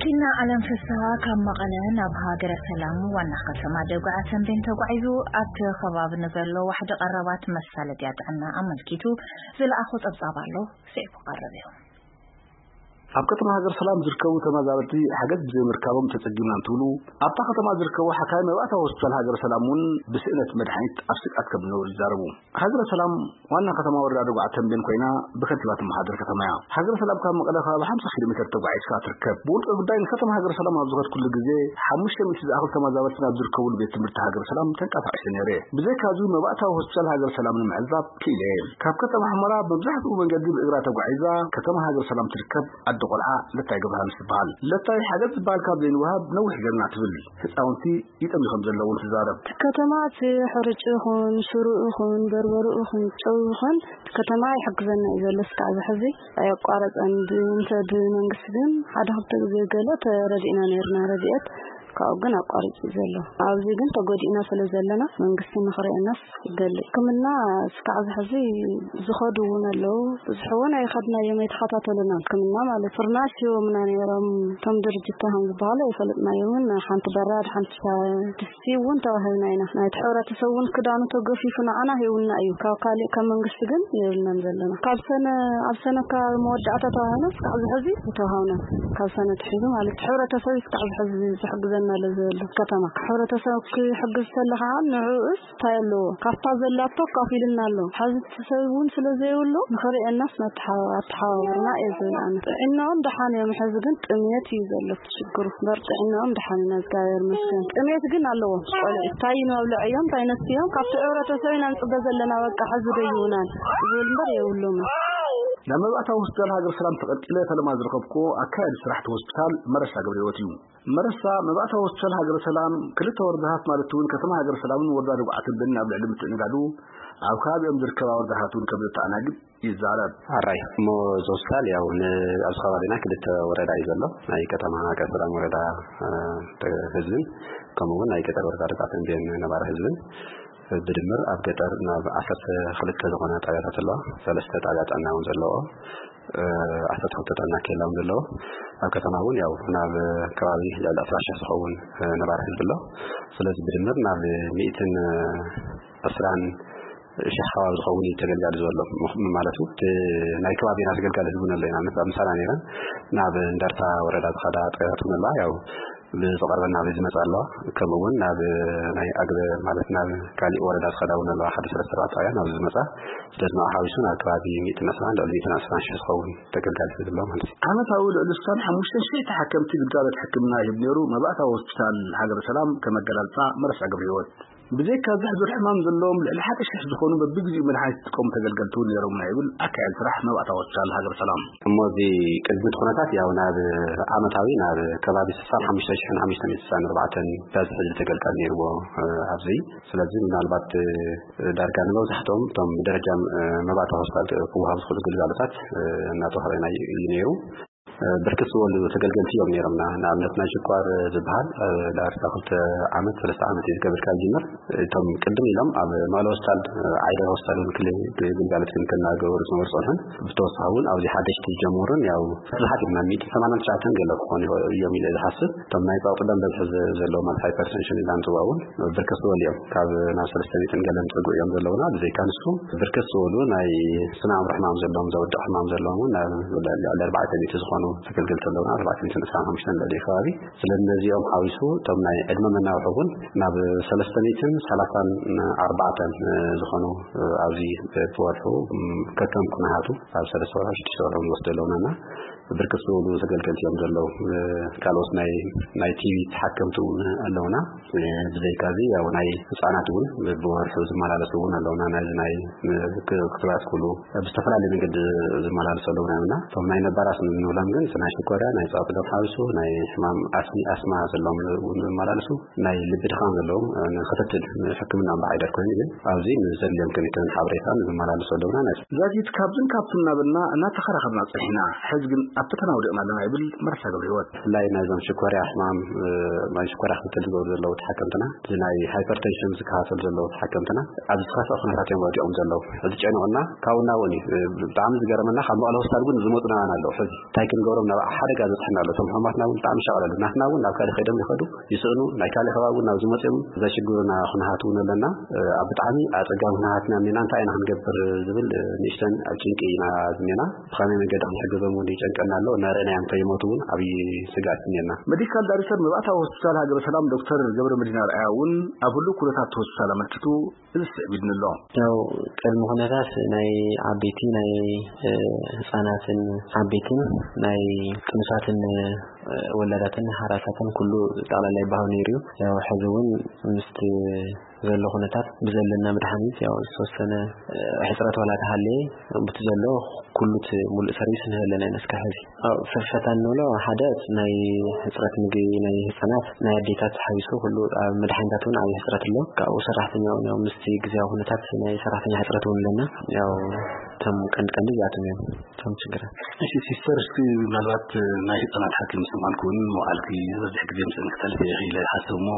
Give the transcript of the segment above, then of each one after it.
ኪና ዓለም ፍስሃ ካብ መቐለ ናብ ሃገረ ሰላም ዋና ከተማ ደጉዓ ተንቤን ተጓዒዙ ኣብቲ ከባቢ ንዘሎ ዋሕዲ ቀረባት መሳለጥያ ጥዕና ኣመልኪቱ ዝለኣኾ ጸብጻብ ኣሎ። ስዒቡ ቀርብ እዩ። ኣብ ከተማ ሃገር ሰላም ዝርከቡ ተመዛበልቲ ሓገዝ ብዘይምርካቦም ተጸጊምና እንትብሉ፣ ኣብታ ከተማ ዝርከቡ ሓካይ መባእታዊ ሆስፒታል ሃገር ሰላም እውን ብስእነት መድሓኒት ኣብ ስግኣት ከም ዝነበሩ ይዛረቡ። ሃገረ ሰላም ዋና ከተማ ወረዳ ደጉዓ ተንቤን ኮይና ብከንቲባ ትመሓደር ከተማ እያ። ሃገረ ሰላም ካብ መቐለ ከባቢ ሓምሳ ኪሎ ሜትር ተጓዒዝካ ትርከብ። ብውልቀ ጉዳይ ንከተማ ሃገረ ሰላም ኣብ ዝኸድኩሉ ግዜ ሓሙሽተ ሚእቲ ዝኣኽል ተመዛበልቲ ናብ ዝርከብሉ ቤት ትምህርቲ ሃገረ ሰላም ተንቀሳቒሰ ነይረ። ብዘይካዚ መባእታዊ ሆስፒታል ሃገረ ሰላም ንምዕዛብ ክኢለ እየ። ካብ ከተማ ሑመራ መብዛሕትኡ መንገዲ ብእግራ ተጓዒዛ ከተማ ሃገረ ሰላም ትርከብ ኣደ ቆልዓ ለታይ ገብረሃንስ ትበሃል። ለታይ ሓገዝ ዝበሃል ካብ ዘይንወሃብ ነዊሕ ጌርና ትብል። ህፃውንቲ ይጠምዩ ከም ዘለውን ትዛረብ። እቲ ከተማ እቲ ሕርጭ ይኹን፣ ሽሩ ይኹን፣ በርበሩ ይኹን፣ ጨው ይኹን፣ እቲ ከተማ ይሕግዘና እዩ ዘሎ። እስካዕ እዚ ሕዚ ኣየቋረፀን። ብ-፣ እንተ ብመንግስቲ ግን ሓደ ክልተ ግዜ ገለ ተረዲእና ነይርና፣ ረድኤት ካብኡ ግን ኣቋሪፁ እዩ ዘሎ። ኣብዚ ግን ተጎዲእና ስለ ዘለና መንግስቲ ንኽርእየናስ ይደሊ። ሕክምና እስካዕ እዚ ሕዚ ዝኸዱ እውን ኣለዉ። ብዙሕ እውን ኣይኸድናዮም፣ ኣይተኸታተሉና። ሕክምና ማለት ፍርናሽ ሂቦምና ነይሮም። እቶም ድርጅት ከም ዝበሃሉ ኣይፈለጥናዮምን። ሓንቲ በራድ፣ ሓንቲ ሻ-፣ ድስቲ እውን ተዋሂብና ኢና። ናይቲ ሕብረተሰብ እውን ክዳኑ ተገፊፉ ንዓና ሂቡና እዩ። ካብ ካሊእ ካብ መንግስቲ ግን የብልናን ዘለና። ካብ ሰነ፣ ኣብ ሰነ ካብ መወዳእታ ተዋሂብና እስካዕ እዚ ሕዚ ተዋሃብና። ካብ ሰነ ትሒዙ ማለት ሕብረተሰብ እስካዕ እዚ ሕዚ ዝሕግዘና ኣሎ ዘሎ ከተማ። ሕብረተሰብ ክሕግዝ ከሎ ከዓ ንዕኡስ እንታይ ኣለዎ? ካብታ ዘላቶ ኣካፊልና ኣሎ። ሕዚ እቲ ሰብ እውን ስለ ዘይብሉ ንኽርእየናስ መተሓ-፣ ኣተሓባበርና እየ ዝብል ኣነ። ጥዕናኦም ደሓን እዮም። ሕዚ ግን ጥሜት እዩ ዘሎ እቲ ሽግሩ። እምበር ጥዕናኦም ደሓን ኢና፣ እግዚኣብሔር ይመስገን። ጥሜት ግን ኣለዎም። ቆልዑ እንታይ ይመብልዕ እዮም፣ እንታይ ነስቲ እዮም፣ ካብቲ ሕብረተሰብ ኢና ንፅበ ዘለና። በቃ ሕዚ ዶ ይህቡናን ዝብል እምበር የብሎምን። ናብ መባእታዊ ሆስፒታል ሃገር ሰላም ተቐልቂለ ፈለማ ዝረኸብኩዎ ኣካያዲ ስራሕቲ ሆስፒታል መረሳ ገብረ ህይወት እዩ። መረሳ መባእታዊ ሆስፒታል ሃገረ ሰላም ክልተ ወረዳታት ማለት እውን ከተማ ሃገረ ሰላምን ወረዳ ደጉዓ ተንቤንን ኣብ ልዕሊ ምትእንጋዱ ኣብ ከባቢኦም ዝርከባ ወረዳታት እውን ከም ዘተኣናግድ ይዛረብ። ኣራይ እሞ እዚ ሆስፒታል ያው ን-፣ ኣብዚ ከባቢና ክልተ ወረዳ እዩ ዘሎ። ናይ ከተማ ሃገረ ሰላም ወረዳ፣ እ፣ ህዝብን ከምኡ እውን ናይ ገጠር ወረዳ ደጉዓ ተንቤን ነባሪ ህዝብን ብድምር ኣብ ገጠር ናብ ዓሰርተ ክልተ ዝኾና ጣብያታት ኣለዋ። ሰለስተ ጣብያ ጥዕና እውን ዘለዎ፣ እ፣ ዓሰርተ ክልተ ጥዕና ኬላ እውን ዘለዎ። ኣብ ከተማ እውን ያው ናብ ከባቢ ልዕሊ ዕስራ ሺሕ ዝኸውን፣ እ፣ ነባሪ ህዝቢ ኣሎ። ስለዚ ብድምር ናብ ሚእትን ዕስራን ሺሕ ከባቢ ዝኸውን እዩ ተገልጋሊ ዘሎ። ምኽ-፣ ማለት እውን እቲ ናይ ከባቢና ተገልጋሊ ህዝቢ እውን ኣሎ ኢና። ንኣብነት ኣብ ምሳና ነይረን ናብ እንደርታ ወረዳ ዝኸዳ ጣብያታት እውን ኣለዋ። ያው ብዝቐርበና ብዝመጻ ኣለዋ። ከምኡ እውን ናብ ናይ ኣግበ ማለት ናብ ካሊእ ወረዳ ዝኸዳ እውን ኣለዋ። ሓደ ሰለስተ ኣርባዕተ ጣብያ ናብ ዝመጻ። ስለዚ ንዓ ሓዊሱ ናብ ከባቢ ሚእትን ዕስራን ልዕሊ ሚእትን ዕስራን ሺሕ ዝኸውን ተገልጋሊ ህዝቢ ኣሎ ማለት እዩ። ዓመታዊ ልዕሊ ስሳን ሓሙሽተን ሺሕ ተሓከምቲ ግልጋሎት ሕክምና ይህብ ነይሩ መባእታዊ ሆስፒታል ሃገረ ሰላም ከም ኣገላልጻ መረሳ ገብረ ህይወት። ብዘይካ እዚ ሕዱር ሕማም ዘለዎም ልዕሊ ሓደ ሺሕ ዝኾኑ በብግዜኡ መድሓኒት ዝጥቀሙ ተገልገልቲ እውን ነይሮምና ይብል ኣካያዲ ስራሕ መባእታዊ ሆስፒታል ሃገረ ሰላም። እሞ እዚ ቅድሚ እቲ ኩነታት ያው ናብ ዓመታዊ ናብ ከባቢ ስሳን ሓሙሽተ ሺሕን ሓሙሽተ ሚእትን ስሳን ኣርባዕተን በዝሒ ተገልጋሊ ነይርዎ፣ እ፣ ኣብዚ። ስለዚ ምናልባት፣ እ፣ ዳርጋ ንመብዛሕትኦም እቶም ብደረጃ፣ እ፣ መባእታዊ ሆስፒታል ክወሃቡ ዝኽእሉ ግልጋሎታት፣ እ፣ እናተዋህበ ናይ እዩ ነይሩ። እ፣ ብርክት ዝበሉ ተገልገልቲ እዮም ነይሮምና። ንኣብነት ናይ ሽኳር ዝበሃል፣ እ፣ ዳርጋ ክልተ ዓመት፣ ሰለስተ ዓመት እዩ ዝገብር ካብ ዝጅምር። እቶም ቅድም ኢሎም ኣብ መቐለ ሆስፒታል፣ እ፣ ዓይደር ሆስፒታል እውን ክሊ-፣ ግልጋሎት ክንክን እናገበሩ ዝነበሩ ጸንሑን፣ ብተወሳኺ እውን ኣብዚ ሓደሽቲ ዝጀመሩን ያው ብዙሓት እዮም፣ ናብ ሚእቲ ሰማንያን ትሽዓተን ገለ ክኾኑ ይኽእሉ እዮም ኢለ ዝሓስብ። እቶም ናይ ጸቕጢ ደም በዝሒ ዘ-፣ ዘለዎም፣ ማለት ሃይፐርቴንሽን ኢልና ንጽውዖ እውን ብርክት ዝበሉ እዮም። ካብ ናብ ሰለስተ ሚእትን ገለን ዝጸግዑ እዮም ዘለውና። ብዘይካ ንሱ ብርክት ዝበሉ ናይ ስነ ኣእምሮ ሕማም ዘለዎም፣ ዘውድቕ ሕማም ዘለዎም እውን ናብ ልዕሊ ኣርባዕተ ሚእቲ ዝኾኑ ተገልገልቲ ኣለውና። ኣርባዕተ ሚእትን ዕስራን ሓሙሽተን ልዕሊ ከባቢ። ስለዚ ነዚኦም ሓዊሱ እቶም ናይ ዕድመ መናውሒ እውን ናብ ሰለስተ ሚእትን ሰላሳን ኣርባዕተን ዝኾኑ ኣብዚ ብወርሑ ከከም ኩነታቱ ኣብ ሰለስተ ወርሑ ሽዱሽተ ወርሑ ንወስዶ ኣለውና እና ብርክት ዝበሉ ተገልገልቲ እዮም ዘለዉ። ካልኦት ናይ፣ ናይ ቲቪ ተሓከምቲ እውን ኣለውና። ብዘይካዚ ያው ናይ ህፃናት እውን ብወርሑ ዝመላለሱ እውን ኣለውና። ናይዚ ናይ ክ-፣ ክትባት ኩሉ ብዝተፈላለየ መንገዲ ዝመላለሱ ኣለውና እና እቶም ናይ ነባራት ንብሎም ግን ናይ ሽኮርያ፣ ናይ ጸቕጢ ደም ሓዊሱ፣ ናይ ሕማም ኣስሚ፣ ኣስማ ዘለዎም እውን ዝመላለሱ፣ ናይ ልቢ ድኻም ዘለዎም ንክትትል ሕክምና እምበኣር ኣይደር ኮይኑ ግን ኣብዚ ንዘድልዮም ክንክን ሓበሬታን ዝመላለሱ ኣለውና። ናይ ዛጊት ካብዝን ካብትን እናበልና እናተኸራኸርና ጸኒሕና። ሕዚ ግን ኣብ ፈተና ወዲቕና ኣለና ይብል መረሳ ገብረ ህይወት። ብፍላይ ናይዞም ሽኮርያ ሕማም፣ እ፣ ናይ ሽኮርያ ክትትል ዝገብሩ ዘለዉ ተሓከምትና፣ እዚ ናይ ሃይፐርቴንሽን ዝከታተሉ ዘለዉ ተሓከምትና፣ ኣብ ዝኸፍአ ኩነታት እዮም ወዲቖም ዘለዉ። ሕዚ ጨኒቑና፣ ካብኡ ናብኡን እዩ። እ፣ ብጣዕሚ ዝገረመና፣ ካብ መቐለ ሆስፒታል እውን ዝመፁና ኣለዉ። ሕዚ እንታይ ገብሮም ናብ ሓደጋ ዝበፅሐና ኣሎ። እቶም ሕሙማትና እውን ብጣዕሚ ሻቕል ኣሎ። ናትና እውን ናብ ካልእ ከይዶም ይኸዱ፣ ይስእኑ፣ ናይ ካልእ ከባቢ እውን ናብ ዝመፅኦም ዘሽግሩና ኩነታት እውን ኣለና። ኣብ ብጣዕሚ ኣፀጋሚ ኩነታትና እኒና፣ እንታይ ኢና ክንገብር ዝብል ንእሽተን ኣብ ጭንቂ ኢና እኒና። ብኸመይ መንገዲ ክንሕግዞም እውን ይጨንቀና ኣሎ። እናረእናዮም ከይሞቱ እውን ዓብዪ ስግኣት እኒና። ሜዲካል ዳይሬክተር መባእታዊ ሆስፒታል ሃገረ ሰላም ዶክተር ገብረ መድህን ኣርኣያ እውን ኣብ ህሉው ኩነታት እቲ ሆስፒታል ኣመልኪቱ እዚ ስዕብ ኢሉኒ ኣሎ። ያው ቅድሚ ኩነታት ናይ ዓበይቲ ናይ ህፃናትን ዓበይትን ናይ ጥኑሳትን ወላዳትን ሓራሳትን ኩሉ ጠቕላላ ይበሃው ነይሩ እዩ። ያው ሕዚ እውን ምስቲ ዘሎ ኩነታት ብዘለና መድሓኒት ያው ዝተወሰነ ሕፅረት ዋላ ተሃለየ፣ ብቲ ዘሎ ኩሉ እቲ ሙሉእ ሰርቪስ ንህበለና ኢና እስካብ ሕዚ። ኣብ ፍርፈታ እንብሎ ሓደ ናይ ሕፅረት ምግቢ ናይ ህፃናት ናይ ኣዴታት ሓዊሱ ኩሉ ኣብ መድሓኒታት እውን ዓብዪ ሕፅረት ኣሎ። ካብኡ ሰራሕተኛ እውን ያው ምስቲ ግዜያዊ ኩነታት ናይ ሰራሕተኛ ሕፅረት እውን ኣለና። ያው እቶም ቀንዲ ቀንዲ እዚኣቶም እዮም እቶም ችግራት። እሺ ሲስተር፣ እስኪ ምናልባት ናይ ህፃናት ሓኪም ስምዓልኩ እውን መውዓልኪ ዝበዝሕ ግዜ ምስአን ክተሕልፊ ኢኺ ኢለ ይሓስብ እሞ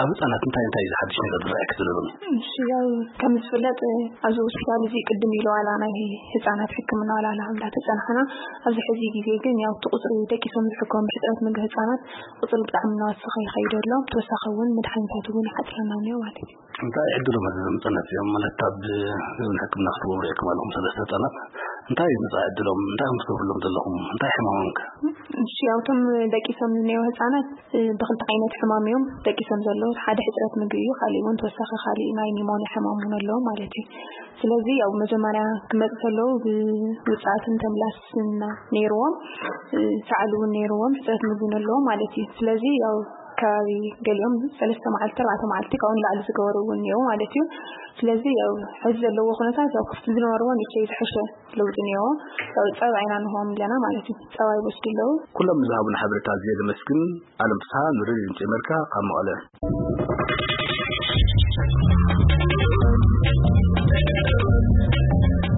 ኣብ ህፃናት እንታይ እንታይ እዩ ሓድሽ ነገር ዝረኣየኪ ዘሎ ሎሚ? እሺ ያው ከም ዝፍለጥ ኣብዚ ሆስፒታል እዚ ቅድም ኢሉ ዋላ ናይ ህፃናት ሕክምና ዋላ እንዳተፀናሕና ኣብዚ ሕዚ ግዜ ግን ያው እቲ ቁፅሪ ደቂሶም ዝሕከሙ ብሕፅረት ምግቢ ህፃናት ቁፅሪ ብጣዕሚ እናወሰኸ ይኸይድ ኣሎ። ብተወሳኺ እውን መድሓኒታት እውን ይሓፅረና እኒኦ ማለት እዩ። እንታይ ዕድሎም ኣዘዘም ህፃናት እዮም ማለት ኣብ ሕክምና ክትገብሩ ኢኹም ኣለኹም ሰለስተ ህፃናት እንታይ እዩ መፃኢ ዕድሎም እንታይ ከም ትገብርሎም ዘለኹም እንታይ ሕማሞም ከ? እሺ ያው እቶም ደቂሶም ዝኒኦ ህፃናት ብክልተ ዓይነት ሕማም እዮም ደቂሶም ዘለዉ። ሓደ ሕፅረት ምግቢ እዩ፣ ካሊእ እውን ተወሳኺ ካሊእ ናይ ኒሞንያ ሕማም እውን ኣለዎ ማለት እዩ። ስለዚ ያው መጀመርያ ክመፁ ከለዉ ብውፅኣትን ተምላስና ነይርዎም፣ ሳዕሉ እውን ነይርዎም፣ ሕፅረት ምግቢ እውን ኣለዎም ማለት እዩ። ስለዚ ያው ከባቢ ገሊኦም ሰለስተ መዓልቲ ኣርባዕተ መዓልቲ ካብኡ ንላዕሊ ዝገበሩ እውን እኒአው ማለት እዩ። ስለዚ ያው ሕዚ ዘለዎ ኩነታት ያው ክፍቲ ዝነበርዎ ንእሽተይ ዝሐሸ ለውጢ እኒአዎ። ያው ፀባ ኢና ንህቦም ኣለና ማለት እዩ። ፀባ ይወስዱ ኣለዉ። ኩሎም ንዝሃቡና ሓበሬታ ኣዝየ ዘመስግን። ኣለም ፍስሃ ንሬድዮ ድምፂ ኣሜሪካ ካብ መቐለ።